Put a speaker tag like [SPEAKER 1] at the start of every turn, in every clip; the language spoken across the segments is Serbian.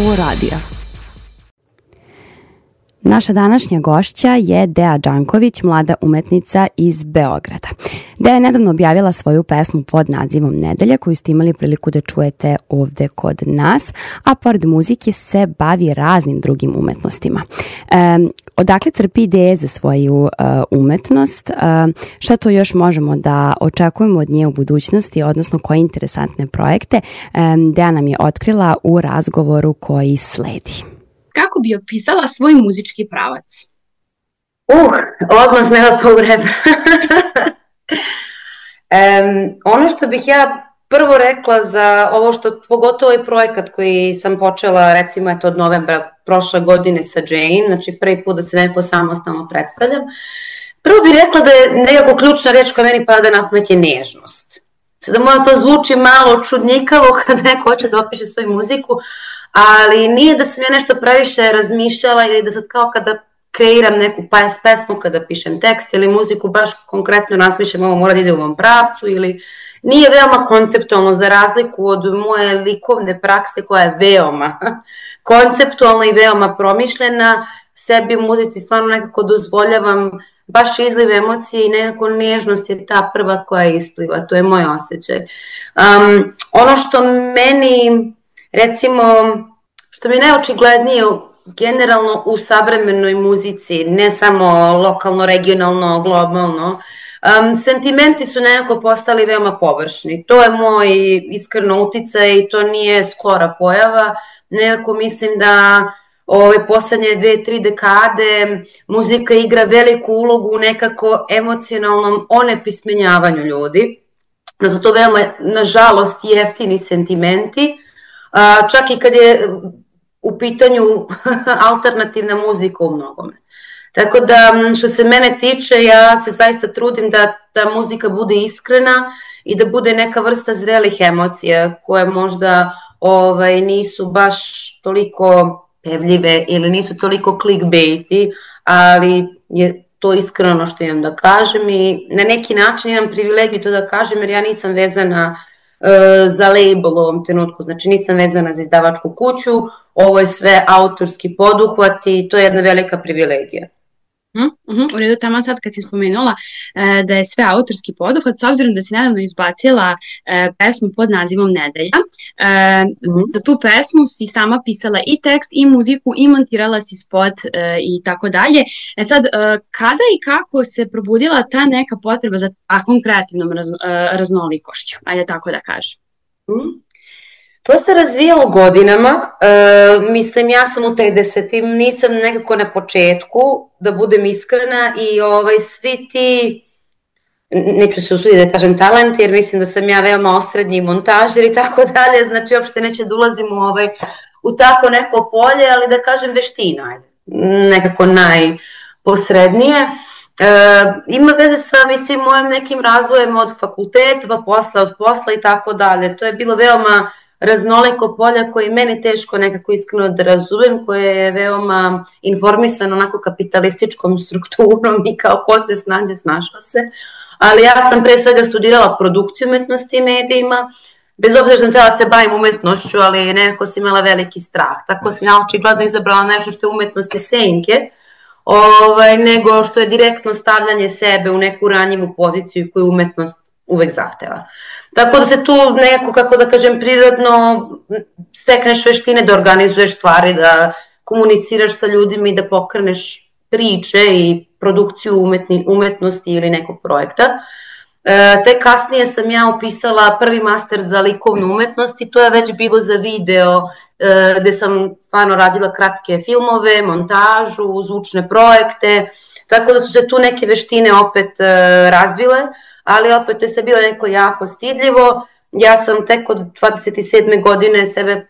[SPEAKER 1] Slow radija. Naša današnja gošća je Dea Đanković, mlada umetnica iz Beograda. Dea je nedavno objavila svoju pesmu pod nazivom Nedelja, koju ste imali priliku da čujete ovde kod nas, a pored muzike se bavi raznim drugim umetnostima. Odakle crpi ideje za svoju umetnost? Šta to još možemo da očekujemo od nje u budućnosti, odnosno koje interesantne projekte? Dea nam je otkrila u razgovoru koji sledi.
[SPEAKER 2] Kako bi opisala svoj muzički pravac?
[SPEAKER 3] Odmah nema povreba. Ono što bih ja prvo rekla za ovo što, pogotovo i projekat koji sam počela recimo od novembra prošle godine sa Jane, znači prvi put da se neko samostalno predstavljam, prvo bih rekla da je nekako ključna reč koja meni pada na pamet je nežnost. Sada možda to zvuči malo čudnjikavo kad neko hoće da opiše svoju muziku, ali nije da sam ja nešto previše razmišljala ili da sad kao kada kreiram neku pesmu, kada pišem tekst ili muziku, baš konkretno razmišljam ovo mora da ide u ovom pravcu ili nije veoma konceptualno za razliku od moje likovne prakse koja je veoma konceptualna i veoma promišljena. Sebi u muzici stvarno nekako dozvoljavam baš izliv emocije i nekako nežnost je ta prva koja ispliva, to je moj osjećaj. Ono što meni, recimo, što mi je najočiglednije generalno u savremenoj muzici, ne samo lokalno, regionalno, globalno, sentimenti su nekako postali veoma površni. To je moj iskreno uticaj i to nije skora pojava. Nekako mislim da ove poslednje 2-3 dekade muzika igra veliku ulogu u nekako emocionalnom onepismenjavanju ljudi. Da su to veoma, nažalost, jeftini sentimenti, čak i kad je u pitanju alternativna muzika u mnogome. Tako da, što se mene tiče, ja se zaista trudim da ta muzika bude iskrena i da bude neka vrsta zrelih emocija koje možda nisu baš toliko pevljive ili nisu toliko clickbaity, ali je to iskreno ono što imam da kažem i na neki način imam privilegiju to da kažem jer ja nisam vezana za label u ovom trenutku, znači nisam vezana za izdavačku kuću, ovo je sve autorski poduhvat i to je jedna velika privilegija.
[SPEAKER 2] U redu, tamo sad kad si spomenula da je sve autorski poduhvat, s obzirom da si nedavno izbacila pesmu pod nazivom Nedelja, za tu pesmu si sama pisala i tekst i muziku i montirala si spot i tako dalje. Sad, kada i kako se probudila ta neka potreba za takvom kreativnom raznolikošću, ajde tako da kažem?
[SPEAKER 3] To se razvijalo godinama, mislim ja sam u 30-im, nisam nekako na početku, da budem iskrena i svi ti, neću se usuditi da kažem talent jer mislim da sam ja veoma osrednji montažer i tako dalje, znači uopšte neću da ulazim u tako neko polje, ali da kažem veština, nekako najposrednije. Ima veze sa, mislim, mojim nekim razvojem od fakulteta, pa od posla i tako dalje, to je bilo veoma raznoliko polja koje meni teško nekako iskreno da razumem, koje je veoma informisano onako kapitalističkom strukturom i kao ko se snađe, snašla se. Ali ja sam pre svega studirala produkciju umetnosti i medijima, bez obzira što sam trebala da se bavim umetnošću, ali nekako sam imala veliki strah. Tako sam ja očigledno izabrala nešto što je umetnosti senke, nego što je direktno stavljanje sebe u neku ranjivu poziciju koju umetnost uvek zahteva. Tako da se tu nekako, kako da kažem, prirodno stekneš veštine da organizuješ stvari, da komuniciraš sa ljudima i da pokreneš priče i produkciju umetnosti ili nekog projekta. Te kasnije sam ja upisala prvi master za likovnu umetnost i to je već bilo za video gde sam stvarno radila kratke filmove, montažu, zvučne projekte, tako da su se tu neke veštine opet razvile, ali opet je se bilo neko jako stidljivo. Ja sam tek od 27. godine sebe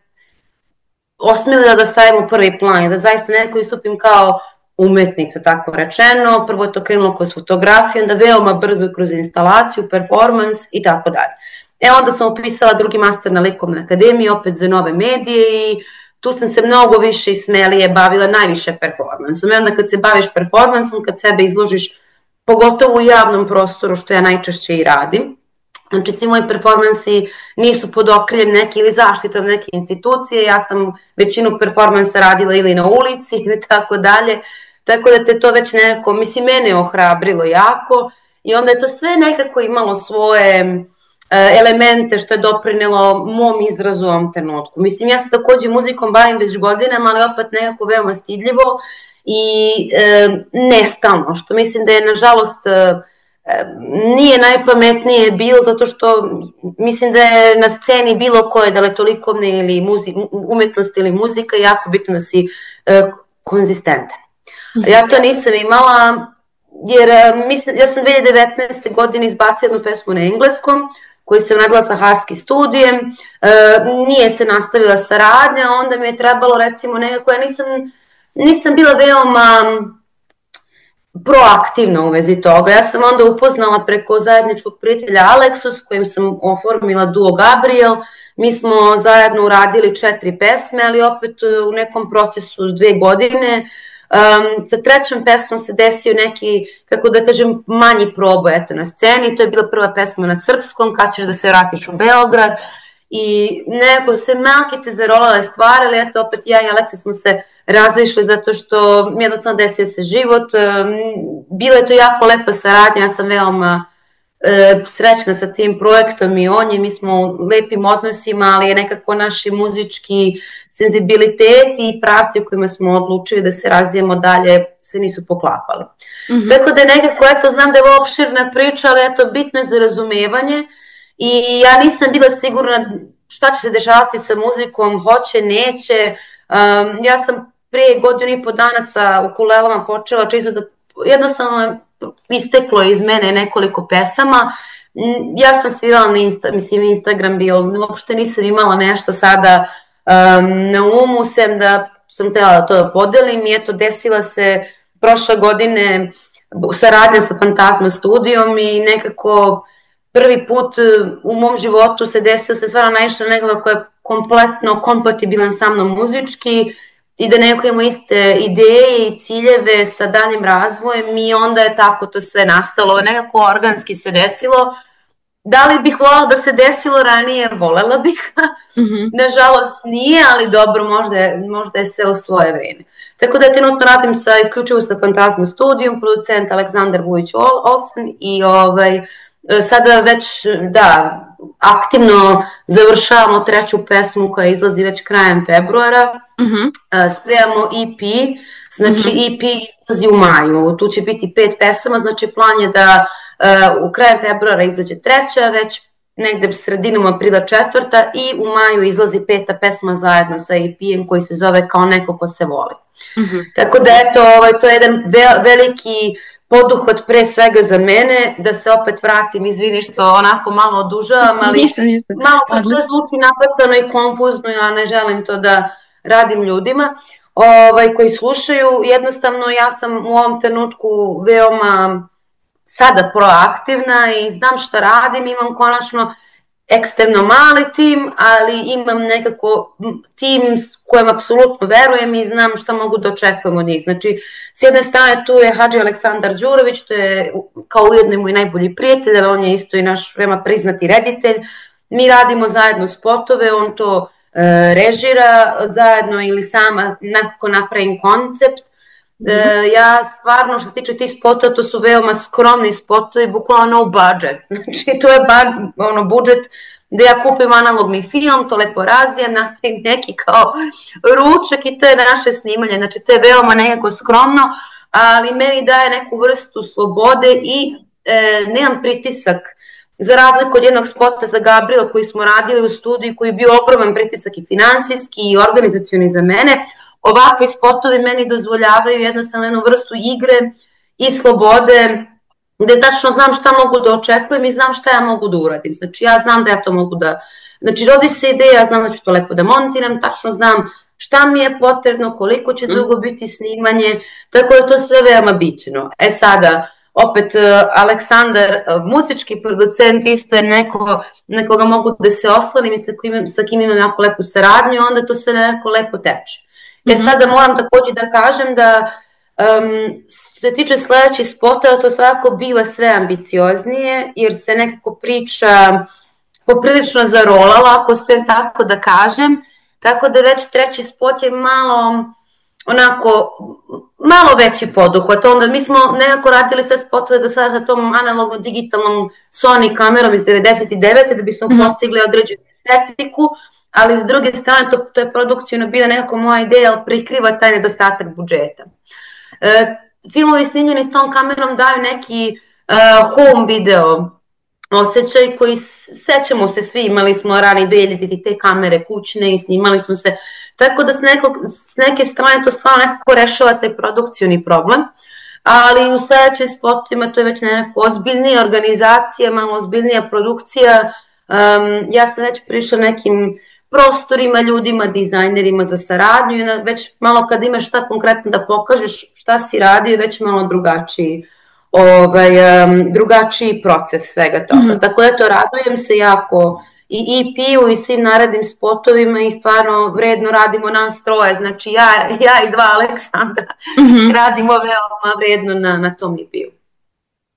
[SPEAKER 3] osmislila da stavim u prvi plan i da zaista nekako istupim kao umetnica, tako rečeno. Prvo je to krenulo kroz fotografiju, onda veoma brzo kroz instalaciju, performans i tako dalje. Onda sam upisala drugi master na Likovnoj akademiji, opet za nove medije i tu sam se mnogo više i smelije bavila najviše performansom. I onda kad se baviš performansom, kad sebe izložiš, pogotovo u javnom prostoru, što ja najčešće i radim, znači svi moji performansi nisu pod okriljem neke ili zaštitom neke institucije, ja sam većinu performansa radila ili na ulici ili tako dalje, tako da te to već nekako, mislim, mene ohrabrilo jako i onda je to sve nekako imalo svoje elemente što je doprinelo mom izrazu u ovom trenutku. Mislim, ja se takođe muzikom bavim već godinama, ali opet nekako veoma stidljivo i nestalno, što mislim da je, nažalost, nije najpametnije bilo, zato što mislim da je na sceni bilo koje, da li to likovne ili umetnost ili muzika, jako bitno da si konzistentan. Ja to nisam imala, jer ja sam 2019. godine izbacila jednu pesmu na engleskom, koju sam radila sa Husky studijem, nije se nastavila saradnja, onda mi je trebalo, recimo, nekako, ja nisam bila veoma proaktivna u vezi toga. Ja sam onda upoznala preko zajedničkog prijatelja Aleksu, s kojim sam oformila duo Gabriel. Mi smo zajedno uradili 4 pesme, ali opet u nekom procesu 2 godine. Sa trećom pesmom se desio neki, kako da kažem, manji proboj na sceni. To je bila prva pesma na srpskom, Kad ćeš da se vratiš u Beograd. I nekako se malkice zarolale stvari, ali eto opet ja i Aleksa smo se razišli zato što jednostavno desio se život. Bila je to jako lepa saradnja, ja sam veoma srećna sa tim projektom i on je, mi smo u lepim odnosima, ali je nekako naši muzički senzibiliteti i pravci u kojima smo odlučili da se razvijemo dalje se nisu poklapali. Tako da nekako, eto, znam da je ovo opširna priča, ali eto, bitno je za razumevanje i ja nisam bila sigurna šta će se dešavati sa muzikom, hoće, neće. Ja sam pre 1.5 godina sa ukulelama počela, čisto da jednostavno isteklo iz mene nekoliko pesama. Ja sam svirala na Instagram bio, uopšte nisam imala nešto sada na umu, sem da sam htjela to da podelim i eto, desila se prošle godine saradnja sa Fantazma studijom i nekako prvi put u mom životu se desilo se stvarno naišla nekoga koja je kompletno kompatibilan sa mnom muzički i da neko ima iste ideje i ciljeve sa daljim razvojem i onda je tako to sve nastalo, nekako organski se desilo. Da li bih voljela da se desilo ranije? Volela bih. Nažalost nije, ali dobro, možda je sve u svoje vreme. Tako da trenutno radim isključivo sa Fantazma studijom, producent Aleksandar Vujić-Olsen i sada već, da, aktivno završavamo 3. pesmu koja izlazi već krajem februara. Spremamo EP, znači EP izlazi u maju, tu će biti 5 pesama, znači plan je da u krajem februara izađe 3, već negde sredinom aprila 4 i u maju izlazi 5. pesma zajedno sa EP-em koji se zove Kao neko ko se voli. Tako da eto, to je jedan veliki poduhvat pre svega za mene, da se opet vratim, izvini što onako malo odužavam, ali malo to sve zvuči napacano i konfuzno, ja ne želim to da radim ljudima koji slušaju. Jednostavno ja sam u ovom trenutku veoma sada proaktivna i znam šta radim, imam konačno ekstremno mali tim, ali imam nekako tim s kojem apsolutno verujem i znam šta mogu da očekujem od njih. Znači, s jedne strane tu je Hadži Aleksandar Đurović, to je kao ujedno moj najbolji prijatelj, ali on je isto i naš veoma priznati reditelj. Mi radimo zajedno spotove, on to režira zajedno ili sama nekako napravim koncept. Ja stvarno, što se tiče tih spotova, to su veoma skromni spotovi, bukvalno no budget. Znači, to je budžet gde ja kupim analogni film, to lepo razijem, napravim neki kao ručak i to je naše snimanje. Znači, to je veoma nekako skromno, ali meni daje neku vrstu slobode i nemam pritisak. Za razliku od jednog spota za Gabriela koji smo radili u studiju, koji je bio ogroman pritisak i finansijski i organizacioni za mene, ovakvi spotovi meni dozvoljavaju jednostavno jednu vrstu igre i slobode, gde tačno znam šta mogu da očekujem i znam šta ja mogu da uradim. Znači ja znam da ja to mogu da... Znači rodi se ideja, ja znam da ću to lepo da montiram, tačno znam šta mi je potrebno, koliko će dugo biti snimanje, tako da to sve veoma bitno. Sada, opet Aleksandar, muzički producent, isto je nekoga mogu da se oslonim i sa kim imam jako lepu saradnju, onda to sve nekako lepo teče. Sada moram takođe da kažem da se tiče sledećih spotova, to svakako biva sve ambicioznije, jer se nekako priča poprilično zarolala, ako smijem tako da kažem, tako da već treći spot je malo veći poduhvat. Onda mi smo nekako radili sve spotove do sada sa tom analogno digitalnom Sony kamerom iz 99. da bismo postigli određenu estetiku, ali s druge strane to je produkcijno bila nekako moja ideja, ali prikriva taj nedostatak budžeta. Filmovi snimljeni s tom kamerom daju neki home video osjećaj koji sećamo se svi, imali smo rani 2000 te kamere kućne i snimali smo se, tako da s neke strane to stvarno nekako rešava taj produkcijni problem, ali u sledećim spotovima to je već nekako ozbiljnija organizacija, malo ozbiljnija produkcija. Ja sam već prišla nekim prostorima, ljudima, dizajnerima za saradnju i već malo kad imaš šta konkretno da pokažeš šta si radio, već malo drugačiji proces svega toga. Tako da to radujem se jako i EP-u i svim narednim spotovima i stvarno vredno radimo nas troje, znači ja i dva Aleksandra radimo veoma vredno na tom EP-u.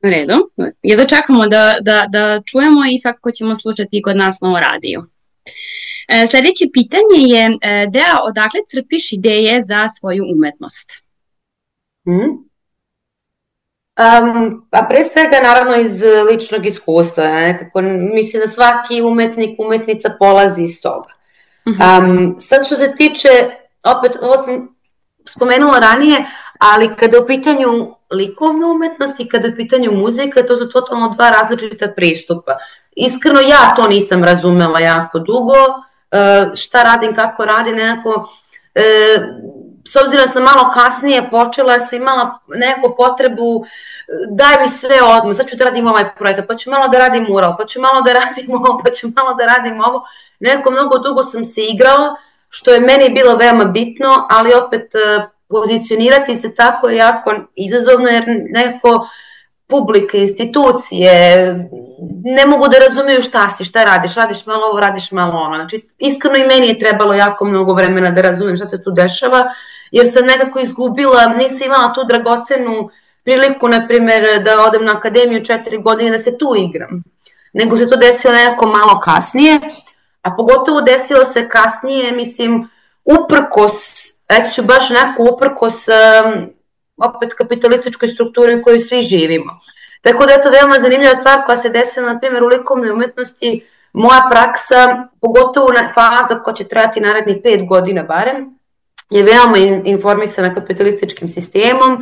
[SPEAKER 2] U redu, jedno čekamo da čujemo i svakako ćemo slušati kod nas na ovo radiju. Sledeće pitanje je, Dea, odakle crpiš ideje za svoju umetnost?
[SPEAKER 3] A pre svega naravno iz ličnog iskustva, nekako mislim da svaki umetnik, umetnica polazi iz toga. Sad što se tiče, opet ovo sam spomenula ranije, ali kada je u pitanju likovna umetnost i kada je u pitanju muzika, to su totalno dva različita pristupa. Iskreno ja to nisam razumela jako dugo, šta radim, kako radim, nekako, s obzirom da sam malo kasnije počela, sam imala neku potrebu, daj mi sve odmah, sad ću da radim ovaj projekat, pa ću malo da radim mural, pa ću malo da radim ovo, pa ću malo da radim ovo. Nekako mnogo dugo sam se igrala, što je meni bilo veoma bitno, ali opet pozicionirati se tako je jako izazovno, jer nekako publika, institucije ne mogu da razumiju šta radiš malo ovo, radiš malo ono. Znači, iskreno i meni je trebalo jako mnogo vremena da razumem šta se tu dešava, jer sam nekako izgubila, nisam imala tu dragocenu priliku, na primjer, da odem na akademiju 4 godine da se tu igram, nego se to desilo nekako malo kasnije, a pogotovo desilo se kasnije, mislim, uprkos opet kapitalističkoj strukturi u kojoj svi živimo. Tako da je to veoma zanimljiva stvar koja se desila, na primjer, u likovnoj umetnosti. Moja praksa, pogotovo faza koja će trajati narednih 5 godina barem, je veoma informisana kapitalističkim sistemom,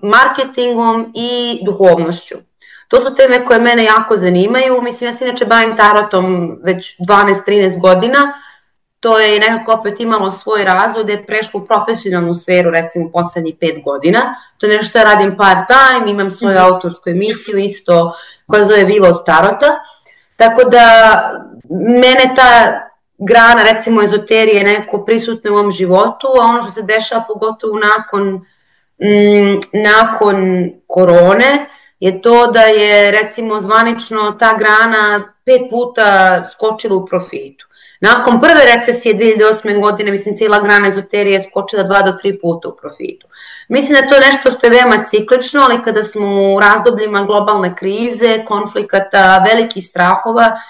[SPEAKER 3] marketingom i duhovnošću. To su teme koje mene jako zanimaju. Mislim, ja se inače bavim tarotom već 12-13 godina. To je nekako opet imalo svoj razvoj, da je prešlo u profesionalnu sferu, recimo, poslednjih 5 godina. To je nešto što ja radim part-time, imam svoju autorsku emisiju isto koja zove Vila od tarota. Tako da mene ta grana, recimo, ezoterije je nekako prisutna u ovom životu, a ono što se dešava pogotovo nakon korone je to da je, recimo, zvanično ta grana 5 puta skočila u profitu. Nakon prve recesije 2008. godine, mislim, cijela grana ezoterije je skočila 2 do 3 puta u profitu. Mislim da to je nešto što je veoma ciklično, ali kada smo u razdobljima globalne krize, konflikata, velikih strahova,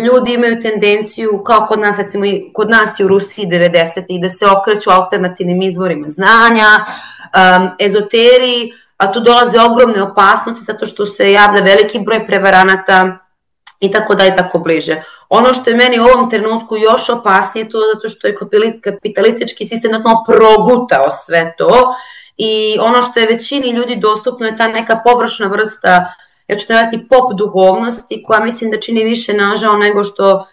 [SPEAKER 3] ljudi imaju tendenciju, kao kod nas, recimo kod nas i u Rusiji 90-ih, da se okreću alternativnim izvorima znanja, ezoteriji, a tu dolaze ogromne opasnosti zato što se javlja veliki broj prevaranata i tako da i tako bliže. Ono što je meni u ovom trenutku još opasnije to zato što je kapitalistički sistem progutao sve to i ono što je većini ljudi dostupno je ta neka površna vrsta, ja ću dati pop duhovnosti, koja mislim da čini više nažao nego što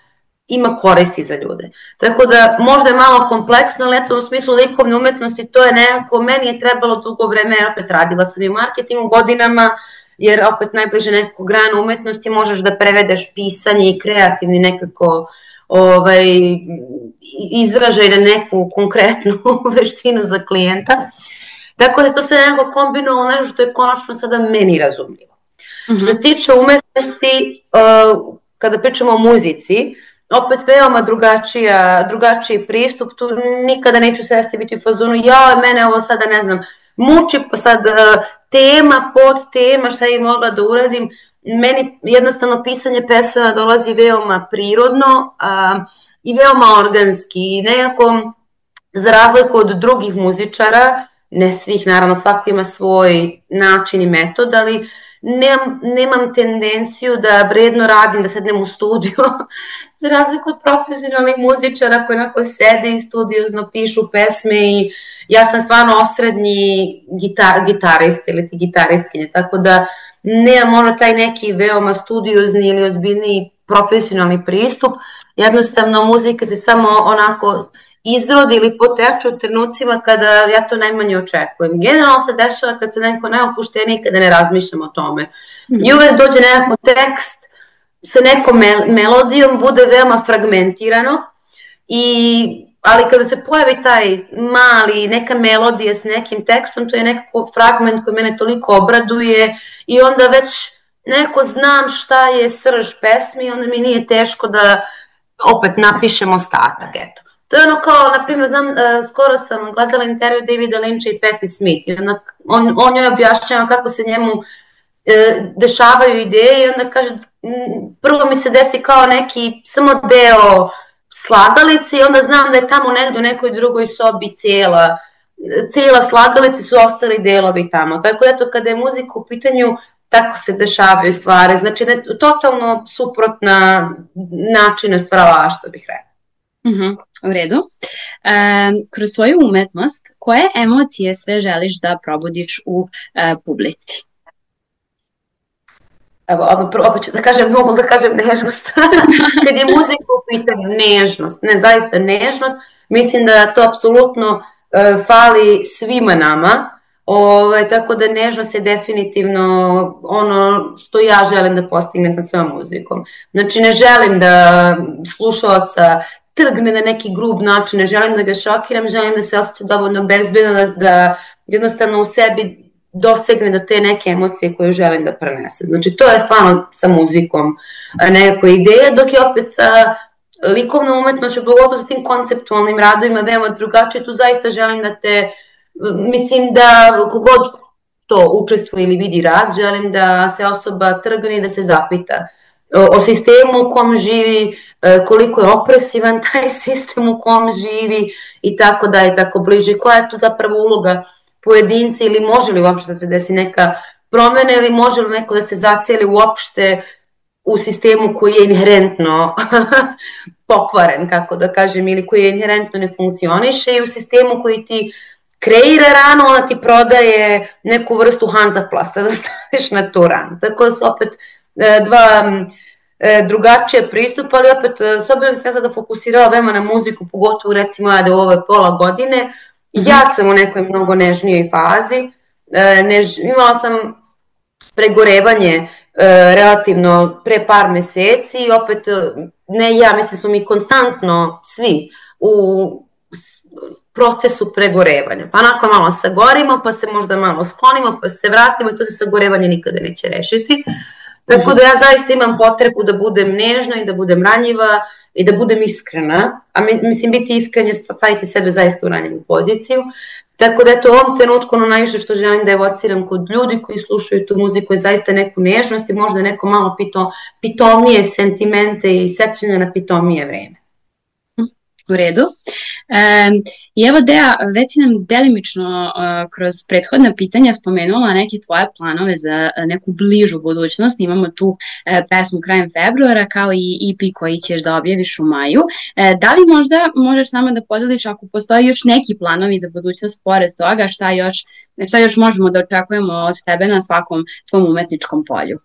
[SPEAKER 3] ima koristi za ljude. Tako da možda je malo kompleksno, ali eto u smislu likovne umetnosti to je nekako, meni je trebalo dugo vreme, opet radila sam i u marketingu godinama, jer opet najbliže nekako grana umetnosti možeš da prevedeš pisanje i kreativni nekako izražaj na neku konkretnu veštinu za klijenta. Tako da to se nekako kombinovalo nešto što je konačno sada meni razumljivo. Što se tiče umetnosti, kada pričamo o muzici, opet veoma drugačiji pristup, tu nikada neću sesti biti u fazonu, mene ovo sada ne znam, muči sad tema, pod tema, šta je mogla da uradim. meni jednostavno pisanje pesama dolazi veoma prirodno i veoma organski i nekako za razliku od drugih muzičara, ne svih, naravno svako ima svoj način i metod, ali nemam tendenciju da vredno radim, da sednem u studio, za razliku od profesionalnih muzičara koji onako sede i studiozno pišu pesme i ja sam stvarno osrednji gitarist ili ti gitaristkinje, tako da nemam možda taj neki veoma studiozni ili ozbiljniji profesionalni pristup, jednostavno muzika se samo onako izrodi ili poteče u trenucima kada ja to najmanje očekujem. Generalno se dešava kad se neko najopušteniji, kada ne razmišljam o tome. I uvek dođe nekako tekst sa nekom melodijom, bude veoma fragmentirano, ali kada se pojavi taj mali, neka melodija s nekim tekstom, to je nekako fragment koji mene toliko obraduje i onda već neko znam šta je srž pesmi i onda mi nije teško da opet napišem ostatak, eto. To je ono kao, na primjer, znam, skoro sam gledala intervju Davida Lyncha i Patti Smith i on joj objašnjava kako se njemu dešavaju ideje i onda kaže, prvo mi se desi kao neki samo deo slagalice i onda znam da je tamo negdje u nekoj drugoj sobi cijela slagalica su ostali delovi tamo. Tako da to kada je muzika u pitanju, tako se dešavaju stvari. Znači, totalno suprotna načina stvaralaštva bih rekla.
[SPEAKER 2] U redu. Kroz svoju umetnost, koje emocije sve želiš da probudiš u publici?
[SPEAKER 3] Evo, opet ću da kažem, mogu da kažem nežnost. Kad je muzika u pitanju, nežnost, ne zaista nežnost, mislim da to apsolutno fali svima nama, tako da nežnost je definitivno ono što ja želim da postignem sa svojom muzikom. Znači, ne želim da slušalaca trgne na neki grub način, ne želim da ga šokiram, želim da se osjeća dovoljno bezbedno, da jednostavno u sebi dosegne do te neke emocije koje želim da prenese. Znači, to je stvarno sa muzikom nekako ideja, dok je opet sa likovnom umetnošću, pogotovo sa tim konceptualnim radovima, veoma drugačije, tu zaista želim da mislim da kogod to učestvuje ili vidi rad, želim da se osoba trgne i da se zapita o sistemu u kom živi, koliko je opresivan taj sistem u kom živi i tako da je tako bliže. Koja je tu zapravo uloga pojedinca ili može li uopšte da se desi neka promena ili može li neko da se zacijeli uopšte u sistemu koji je inherentno pokvaren, kako da kažem, ili koji je inherentno ne funkcioniše i u sistemu koji ti kreira ranu, ona ti prodaje neku vrstu Hanzaplasta da staviš na tu ranu. Tako da su opet dva drugačije pristupa, ali opet s obzirom da sam ja sada fokusirala veoma na muziku, pogotovo recimo ja da u ove pola godine, ja sam u nekoj mnogo nežnijoj fazi, imala sam pregorevanje relativno pre par meseci i opet, ne ja, mislim smo mi konstantno svi u procesu pregorevanja, pa onako malo sagorimo, pa se možda malo sklonimo, pa se vratimo i to se sagorevanje nikada neće rešiti. Tako da ja zaista imam potrebu da budem nežna i da budem ranjiva i da budem iskrena, a mislim biti iskren je staviti sebe zaista u ranjivu poziciju. Tako da eto u ovom trenutku ono najviše što želim da evociram kod ljudi koji slušaju tu muziku je zaista neku nežnost i možda neko malo pitomije sentimente i sećanja na pitomije vreme.
[SPEAKER 2] U redu. I evo Dea, već si nam delimično kroz prethodna pitanja spomenula neke tvoje planove za neku bližu budućnost. Imamo tu pesmu krajem februara kao i EP koji ćeš da objaviš u maju. Da li možda možeš nama da podeliš ako postoji još neki planovi za budućnost pored toga, šta još možemo da očekujemo od tebe na svakom tvom umetničkom polju?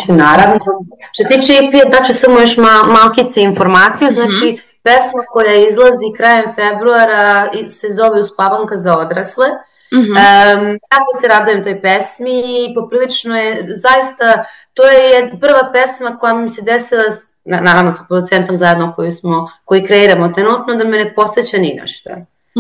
[SPEAKER 3] Naravno. Što tiče EP, daću samo još malkice informacije, znači pesma koja izlazi krajem februara se zove Uspavanka za odrasle. Tako se radujem toj pesmi i poprilično je zaista, to je prva pesma koja mi se desila, naravno sa producentom zajedno koji kreiramo trenutno, da me ne podsjeća ni na šta.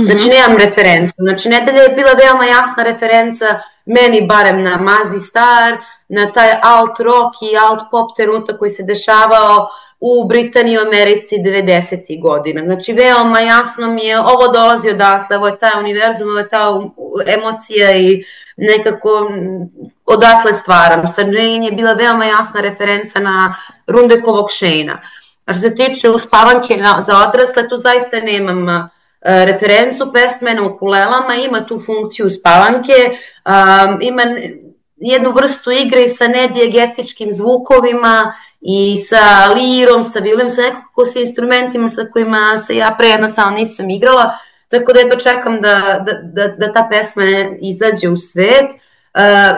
[SPEAKER 3] Znači, nemam referencu. Znači, Nedelja je bila veoma jasna referenca, meni barem na Mazzy Star, na taj alt rock i alt pop trenutak koji se dešavao u Britaniji i Americi 90. godina. Znači, veoma jasno mi je, ovo dolazi odatle, ovo je taj univerzum, ovo je ta emocija i nekako odatle stvaram. Sa Jane je bila veoma jasna referenca na Rundekovog Shane-a. A što se tiče uspavanke za odrasle, tu zaista nemam referencu. Pesme na ukulelama, ima tu funkciju uspavanke, ima jednu vrstu igre i sa nedijegetičkim zvukovima i sa lirom, sa violom, sa nekako sa instrumentima sa kojima se ja pre jednostavno nisam igrala, tako da jedva čekam da ta pesma izađe u svet.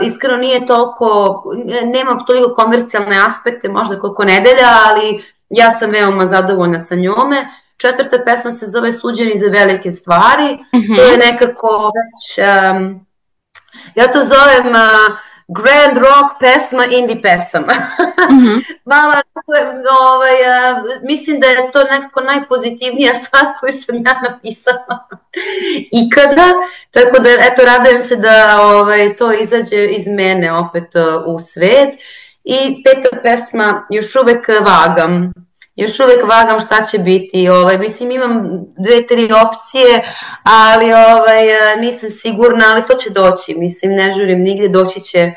[SPEAKER 3] Iskreno nije toliko, nema toliko komercijalne aspekte, možda koliko Nedelja, ali ja sam veoma zadovoljna sa njome. 4. pesma se zove Suđeni za velike stvari, to je nekako već, ja to zovem grand rock pesma indie pesama. Malo, mislim da je to nekako najpozitivnija stvar koju sam ja napisala ikada, tako da eto radujem se da to izađe iz mene opet u svet. I 5. pesma još uvek vagam šta će biti, mislim imam 2-3 opcije, ali nisam sigurna, ali to će doći, mislim ne žurim nigde, doći će,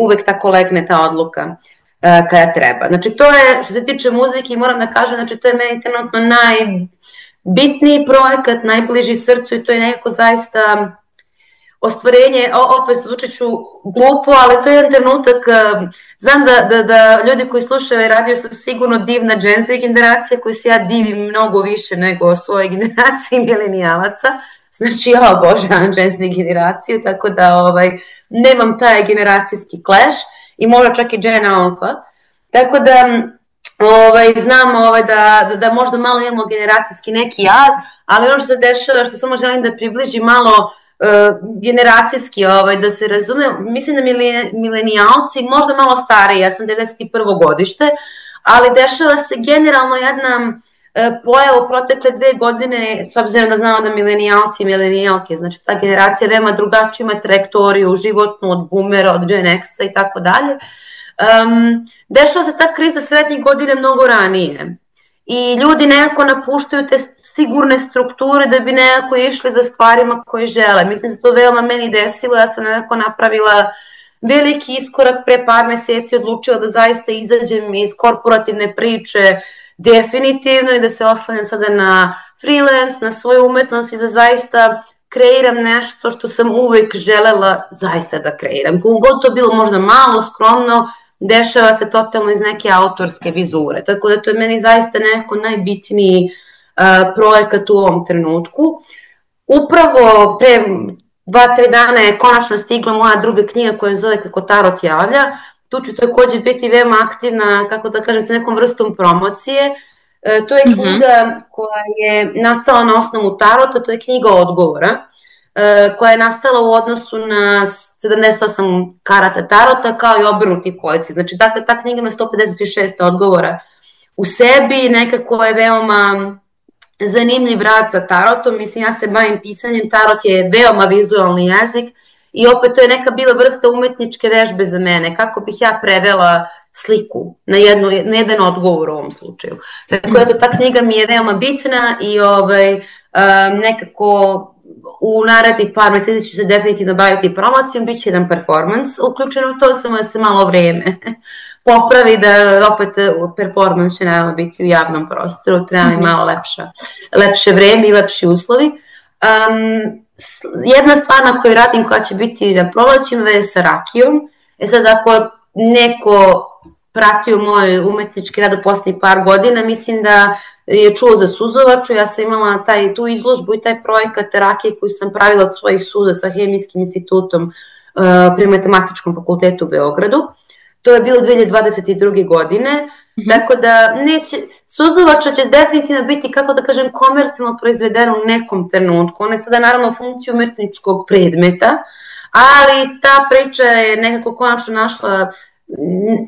[SPEAKER 3] uvek tako legne ta odluka kada treba. Znači to je, što se tiče muzike, moram da kažem, znači to je meni trenutno najbitniji projekat, najbliži srcu i to je nekako zaista ostvarenje, opet zvučit ću glupo, ali to je jedan trenutak, znam da ljudi koji slušaju radio su sigurno divna Gen Z generacija koju se ja divim mnogo više nego svoje generacije milenijalaca, znači ja obožavam Gen Z generaciju, tako da nemam taj generacijski clash i možda čak i Gen Alpha, tako da znam da možda malo imamo generacijski neki jaz, ali ono što se dešava, što samo želim da približim malo generacijski, da se razume, mislim da milenijalci, možda malo stariji, ja sam 91. godište, ali dešava se generalno jedna pojava u protekle 2 godine, s obzirom da znamo da milenijalci i milenijalke, znači ta generacija veoma drugačija ima trajektoriju životnu od boomera, od Gen X-a i tako dalje. Dešava se ta kriza srednjih godina mnogo ranije. I ljudi nekako napuštaju te sigurne strukture da bi nekako išli za stvarima koje žele. Mislim da se to veoma meni desilo, ja sam nekako napravila veliki iskorak pre par meseci, odlučila da zaista izađem iz korporativne priče definitivno i da se oslanjam sada na freelance, na svoju umetnost i da zaista kreiram nešto što sam uvek želela zaista da kreiram. Kako god to bilo možda malo, skromno, dešava se totalno iz neke autorske vizure. Tako da to je meni zaista neko najbitniji projekat u ovom trenutku. Upravo pre 2-3 dana je konačno stigla moja druga knjiga koja zove Kako tarot javlja. Tu ću takođe biti veoma aktivna, kako da kažem, sa nekom vrstom promocije. To je knjiga koja je nastala na osnovu tarota, to je knjiga odgovora, koja je nastala u odnosu na 78 karata tarota kao i obrnuti poeci. Znači, dakle, ta knjiga ima 156 odgovora u sebi, nekako je veoma zanimljiv rad sa tarotom. Mislim, ja se bavim pisanjem, tarot je veoma vizualni jezik i opet to je neka bila vrsta umetničke vežbe za mene, kako bih ja prevela sliku na jedan odgovor u ovom slučaju. Tako da ta knjiga mi je veoma bitna i nekako u narednih par meseci ću se definitivno baviti promocijom, bit će jedan performans uključen u to, samo da se malo vreme popravi, da opet performans će naravno biti u javnom prostoru, treba mi malo lepše vreme i lepši uslovi. Jedna stvar na kojoj radim koja će biti na prolećima je sa rakijom. Sad ako neko pratio moj umetnički rad u poslednjih par godina, mislim da je čuo za suzovaču. Ja sam imala tu izložbu i taj projekat rakije koju sam pravila od svojih suza sa Hemijskim institutom pri Matematičkom fakultetu u Beogradu. To je bilo 2022. godine, tako da suzovača će definitivno biti, kako da kažem, komercijalno proizvedena u nekom trenutku. Ona je sada naravno funkciju umetničkog predmeta, ali ta priča je nekako konačno našla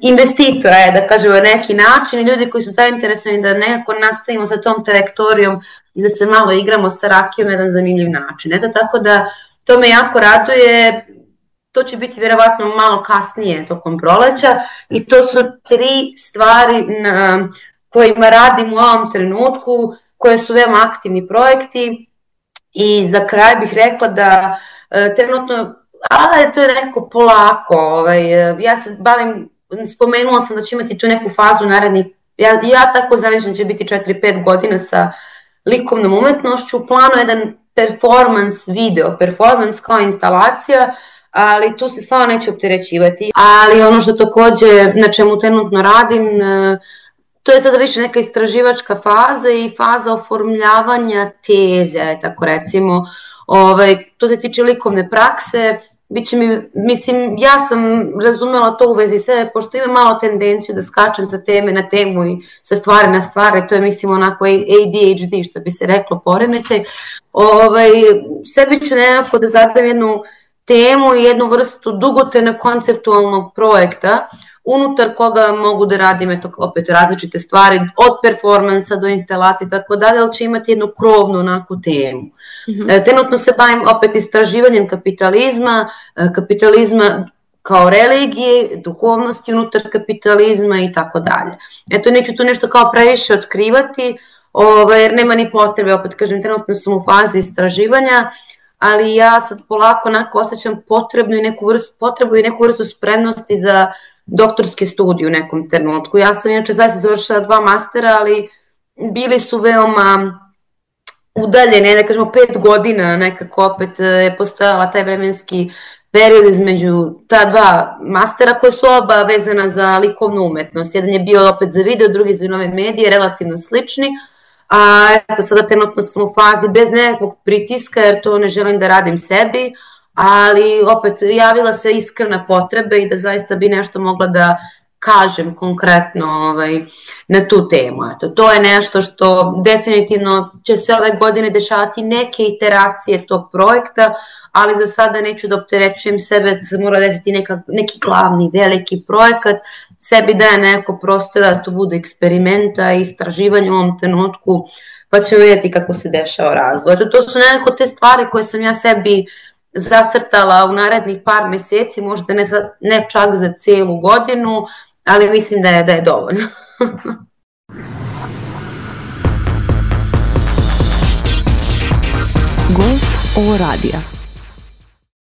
[SPEAKER 3] investitora, da kažemo, neki način i ljudi koji su zainteresovani da nekako nastavimo sa tom trajektorijom i da se malo igramo sa rakijom na jedan zanimljiv način. Eto, tako da to me jako raduje. To će biti vjerovatno malo kasnije tokom proleća i to su 3 stvari na kojima radim u ovom trenutku, koje su veoma aktivni projekti. I za kraj bih rekla da trenutno, ali to je nekako polako, ja se bavim, spomenula sam da ću imati tu neku fazu narednih, ja tako zamišljam će biti 4-5 godina sa likovnom umetnošću, u planu jedan performance video, performance kao instalacija, ali tu se stvarno neće opterećivati. Ali ono što takođe, na čemu trenutno radim, to je sada više neka istraživačka faza i faza oformljavanja teze, tako recimo. To se tiče likovne prakse, biće mi, mislim, ja sam razumela to u vezi sebe, pošto imam malo tendenciju da skačem sa teme na temu i sa stvari na stvari, to je mislim onako ADHD, što bi se reklo, poremećaj. Sebi ću nekako da zadam jednu temu i jednu vrstu dugotrajnog konceptualnog projekta, unutar koga mogu da radim opet različite stvari, od performansa do instalacije, tako dalje, ali će imati jednu krovnu onako temu. Trenutno se bavim opet istraživanjem kapitalizma kao religije, duhovnosti unutar kapitalizma i tako dalje. Eto, neću tu nešto kao previše otkrivati, jer nema ni potrebe, opet kažem, trenutno sam u fazi istraživanja, ali ja sad polako onako osjećam potrebu i neku vrstu spremnosti za doktorske studije u nekom trenutku. Ja sam inače zaista završila 2 mastera, ali bili su veoma udaljene, da kažemo 5 godina nekako opet je postojala taj vremenski period između ta 2 mastera koje su oba vezana za likovnu umetnost. Jedan je bio opet za video, drugi za nove medije, relativno slični, a eto sada trenutno sam u fazi bez nekakvog pritiska jer to ne želim da radim sebi, ali opet javila se iskrena potreba i da zaista bi nešto mogla da kažem konkretno na tu temu. Eto, to je nešto što definitivno će se ove godine dešavati neke iteracije tog projekta, ali za sada neću da opterećujem sebe, da se mora desiti neki glavni, veliki projekat, sebi daje neko prostora da to bude eksperimenta i istraživanje u ovom trenutku, pa ćemo vidjeti kako se dešava razvoj. Eto, to su nekako te stvari koje sam ja sebi zacrtala u narednih par meseci, možda ne čak za cijelu godinu, ali mislim da je dovoljno.
[SPEAKER 4] Gost ovo radija.